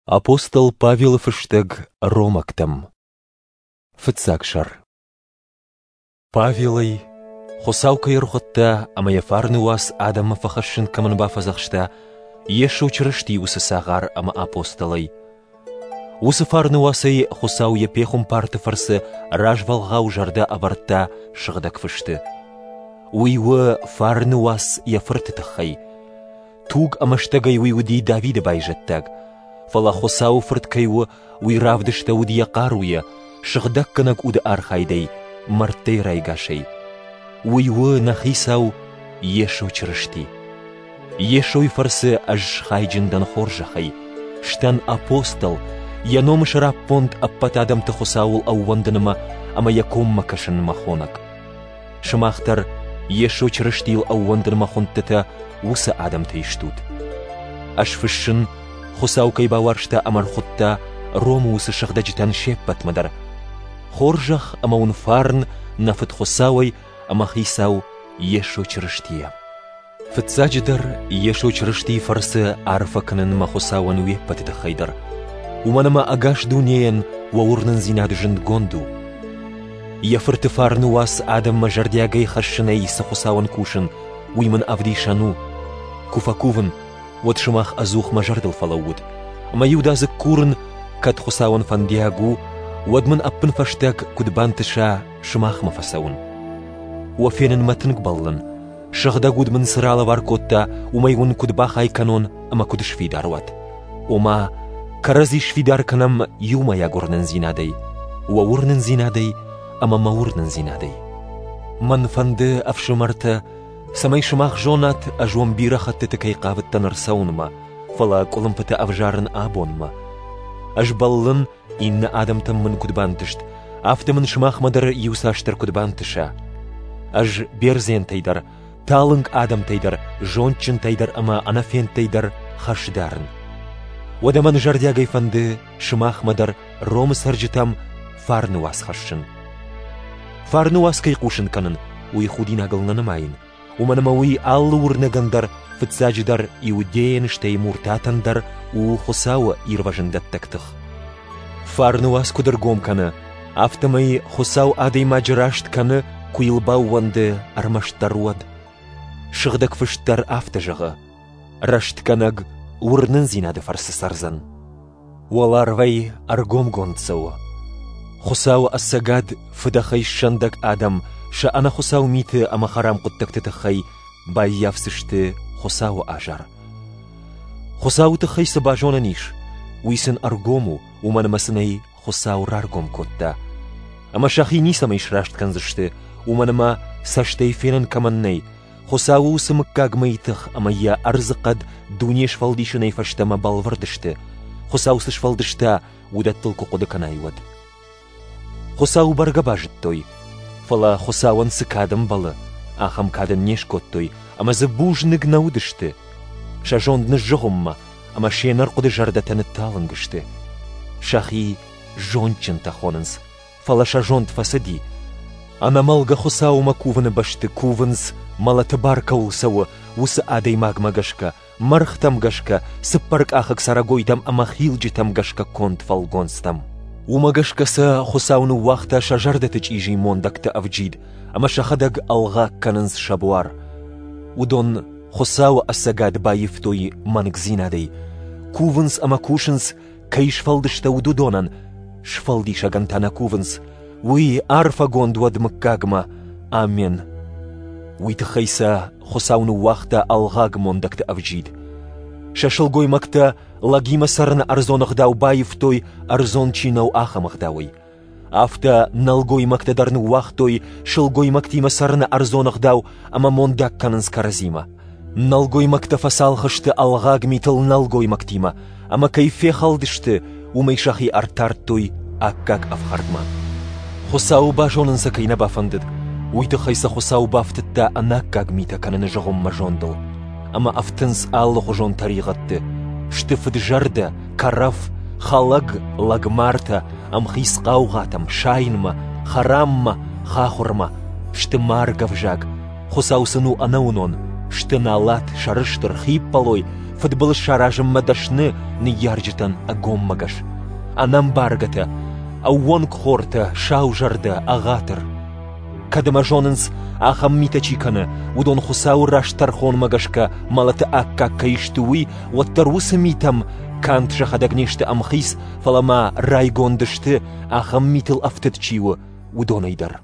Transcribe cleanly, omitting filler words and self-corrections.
Апостол Павелы фыстӕг ромӕгтӕм. Фыццаг сӕр. Павелӕй, Хуыцау кӕй ӕрхуыдта ӕмӕ йӕ фарны уац адӕммӕ фӕхӕссын кӕмӕн бафӕдзӕхста, Йесо Чырысти уыцы цагъар ӕмӕ апостолӕй. Уыцы фарны уацӕй Хуыцау йӕ пехуымпарты фӕрцы развӕлгъау зӕрдӕ ӕвӕрдта Сыгъдӕг Фысты. Уый у фарны уац йӕ Фырты тыххӕй – Туг ӕмӕ стӕгӕй уый уыди Давиды байзӕддаг. Фӕлӕ Хуыцауы Фырт кӕй у, уый равдыстӕуыд йӕ хъаруйӕ, сыгъдӕггӕнӕг уды архайдӕй, мӕрдтӕй райгасӕй. Уый у нӕ Хицау Йесо Чырысти. Йесойы фӕрцы ӕз схайджын дӕн хорзӕхӕй, сдӕн апостол, йӕ номы сӕраппонд ӕппӕт адӕмты Хуыцауыл ӕууӕндынмӕ ӕмӕ йӕ коммӕ кӕсынмӕ хонӕг. Сымах дӕр Йесо Чырыстийыл ӕууӕндынмӕ хуындтытӕ уыцы адӕмтӕй стут. Ӕз фыссын, Хуыцау кӕй бауарзта ӕмӕ ӕрхуыдта Ромы уыцы сыгъдӕджытӕн се ппӕтмӕ дӕр. Хорзӕх ӕмӕ уын фарн нӕ Фыд Хуыцауӕй ӕмӕ Хицау Йесо Чырыстийӕ. Фыццаджыдӕр, Йесо Чырыстийы фӕрцы арфӕ кӕнын мӕ Хуыцауӕн уе ппӕты тыххӕй дӕр, уымӕн ӕмӕ ӕгас дунейӕн уӕ уырнындзинад зындгонд у. Йӕ Фырты фарны уац адӕммӕ зӕрдиагӕй хӕссынӕй цы Хуыцауӕн кусын, уый мын ӕвдисӕн у. Куы фӕкувын, уӕд сымах ӕдзух мӕ зӕрдыл фӕлӕуут, ӕмӕ иудадзыг курын, кӕд Хуыцауӕн фӕндиаг у, уӕд мын ӕппынфӕстаг куыд бантыса сымахмӕ фӕцӕуын. Уӕ фенынмӕ тынг бӕллын, Сыгъдӕг уд мын цы ралӕвар кодта, уымӕй уын куыд бахай кӕнон ӕмӕ куыд сфидар уат. Ома, кӕрӕдзи сфидар кӕнӕм иумӕйаг уырнындзинадӕй, уӕ уырнындзинадӕй ӕмӕ мӕ уырнындзинадӕй. Мӕн фӕнды, ӕфсымӕртӕ, цӕмӕй сымах зонат, ӕз уӕм бирӕ хӕттыты кӕй хъавыдтӕн ӕрцӕуынмӕ, фӕлӕ къуылымпытӕ ӕвзарын абонмӕ. Ӕз бӕллын, Иннӕ адӕмтӕм мын куыд бантыст, афтӕ мын сымахмӕ дӕр иуцасдӕр куыд бантыса. Ӕз бердзентӕй дӕр, талынг адӕмтӕй дӕр, зондджынтӕй дӕр ӕмӕ ӕнӕфендтӕй дӕр хӕс дарын. Уӕдӕ мӕн зӕрдиагӕй фӕнды сымахмӕ дӕр Ромы цӕрджытӕм фарны уац хӕссын. Фарны уац кӕй хъусын кӕнын, уый худинагыл нӕ нымайын, уымӕн ӕмӕ уый алы уырнӕгӕн дӕр, фыццаджыдӕр иудейӕн, стӕй муртатӕн дӕр у Хуыцауы ирвӕзындӕттӕг тых. Фарны уац куыд ӕргом кӕны, афтӕмӕй Хуыцау адӕймаджы раст кӕны, куы йыл баууӕнды, ӕрмӕстдӕр уӕд. Сыгъдӕг Фыст дӕр афтӕ зӕгъы: Рӕстгӕнӕг уырнындзинады фӕрцы цӕрдзӕн. Уӕларвӕй ӕргомгонд цӕуы. Хуыцауы ӕцӕгад фыдӕхӕй ссӕндӕг адӕм сӕ ӕнӕхуыцау миты ӕмӕ хӕрам хъуыддӕгты тыххӕй баййафдзысты Хуыцауы азар. Хуыцауы тыххӕй цы базонӕн ис, уый сын ӕргом у, уымӕн ӕмӕ сын ӕй Хуыцау раргом кодта. Ӕмӕ сӕхи ницӕмӕй сраст кӕндзысты, уымӕн ӕмӕ цӕстӕй фенӕн кӕмӕн нӕй, Хуыцауы уыцы мыггагмӕйы тых ӕмӕ йӕ ӕрдзыхъӕд дуне сфӕлдисынӕй фӕстӕмӕ бӕлвырд сты, Хуыцау цы сфӕлдыста, уыдӕттыл куы хъуыды кӕнай, уӕд. Хуыцауы бӕргӕ базыдтой, фӕлӕ Хуыцауӕн цы кад ӕмбӕлы, ахӕм кад ын не скодтой ӕмӕ дзы бузныг нӕ уыдысты. Сӕ зонд ныззыгъуыммӕ ӕмӕ се нӕрхъуыды зӕрдӕтӕ нытталынг сты. Сӕхи зондджынтӕ хонынц, фӕлӕ сӕ зонд фӕцыди. Ӕнӕмӕлгӕ Хуыцаумӕ кувыны бӕсты кувынц, мӕлӕты бар кӕуыл цӕуы, уыцы адӕймагмӕ гӕсгӕ, мӕргътӕм гӕсгӕ, цыппӕркъахыг цӕрӕгойтӕм ӕмӕ хилджытӕм гӕсгӕ конд фӕлгонцтӕм. Уымӕ гӕсгӕ сӕ Хуыцау ныууагъта сӕ зӕрдӕты чъизи мондӕгты ӕвджид, ӕмӕ сӕхӕдӕг ӕлгъаг кӕнынц сӕ буар. Уыдон Хуыцауы ӕцӕгад баивтой мӕнгдзинадӕй, кувынц ӕмӕ кусынц кӕй сфӕлдыстӕуыд, уыдонӕн, сфӕлдисӕгӕн та нӕ кувынц, уый арфӕгонд уӕд мыггагмӕ. Амен. Уый тыххӕй сӕ Хуыцау ныууагъта ӕлгъаг мондӕгты ӕвджид. Сӕ сылгоймӕгтӕ лӕгимӕ цӕрыны ӕрдзон ӕгъдау баивтой, ӕрдзон чи нӕу, ахӕм ӕгъдауӕй. Афтӕ нӕлгоймӕгтӕ дӕр ныууагътой сылгоймӕгтимӕ цӕрыны ӕрдзон ӕгъдау ӕмӕ мондаг кӕнынц кӕрӕдзимӕ. Нӕлгоймӕгтӕ фӕцалх сты ӕлгъаг митыл нӕлгоймӕгтимӕ, ӕмӕ кӕй фехӕлдысты, уымӕй сӕхи ӕртардтой аккаг ӕфхӕрдмӕ. Хуыцауы базонын сӕ кӕй нӕ бафӕндыд, уый тыххӕй сӕ Хуыцау бафтыдта ӕнаккаг митӕ кӕныны зыгъуыммӕ зондыл. Ӕмӕ ӕфтынц алыхуызон тӕригъӕдты, сты фыд-зӕрдӕ, кӕрӕф, хӕлӕг, лӕгмартӕ, ӕмхиц хъаугъатӕм, сайынмӕ, хӕраммӕ, хахуырмӕ, сты маргӕвзаг, Хуыцау сын у ӕнӕуынон, сты налат, сӕрыстыр, хиппӕлой, фыдбылыз саразынмӕ дӕсны ныййарджытӕн ӕгоммӕгӕс, ӕнӕмбаргӕтӕ, ӕууӕнкхортӕ, саузӕрдӕ, ӕгъатыр. Кӕд ӕмӕ зонынц, ахӕм митӕ чи кӕны, уыдон Хуыцауы раст тӕрхонмӕ гӕсгӕ мӕлӕты аккаг кӕй сты, уый, уӕддӕр уыцы митӕм канд сӕхӕдӕг не сты ӕмхиц, фӕлӕ ма райгонд сты, ахӕм митыл ӕфтыд чи у, уыдонӕй дӕр.